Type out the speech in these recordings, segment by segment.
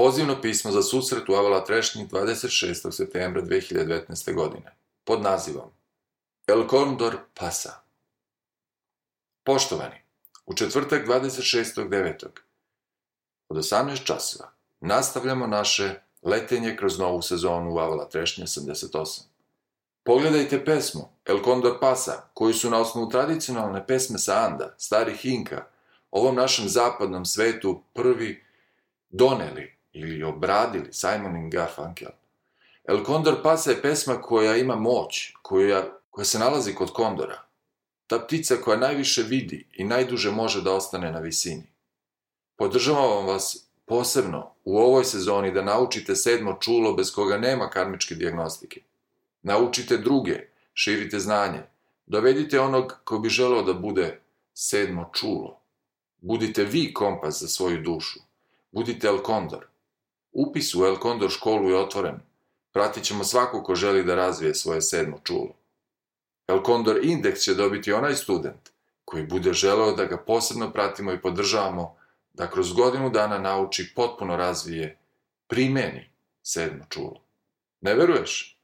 Pozivno pismo za susret u Avala Trešnji 26. septembra 2019. godine pod nazivom El Condor pasa. Poštovani, u četvrtak 26.9. od 18 časova nastavljamo naše letenje kroz novu sezonu u Avala Trešnje 88. Pogledajte pesmu El Condor pasa, koju su na osnovu tradicionalne pesme sa Anda, starih Inka, ovom našem zapadnom svetu prvi doneli ili obradili Simon i Garfunkel. El Condor pasa je pesma koja ima moć, koja se nalazi kod kondora. Ta ptica koja najviše vidi i najduže može da ostane na visini. Podržavam vas posebno u ovoj sezoni da naučite sedmo čulo bez koga nema karmičke dijagnostike. Naučite druge, širite znanje, dovedite onog ko bi želeo da bude sedmo čulo. Budite vi kompas za svoju dušu. Budite El Condor. Upis u El Condor školu je otvoren. Pratit ćemo svako ko želi da razvije svoje sedmo čulo. El Condor indeks će dobiti onaj student koji bude želeo da ga posebno pratimo i podržavamo da kroz godinu dana nauči, potpuno razvije, primeni sedmo čulo. Ne veruješ?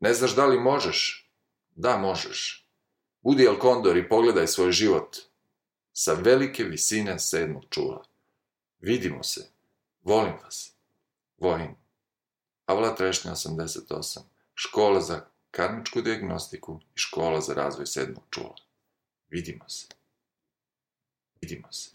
Ne znaš da li možeš? Da, možeš. Budi El Condor i pogledaj svoj život sa velike visine sedmog čula. Vidimo se. Volim vas. Vojin. Avala Trešnja 88. Škola za karmičku dijagnostiku i škola za razvoj sedmog čula. Vidimo se. Vidimo se.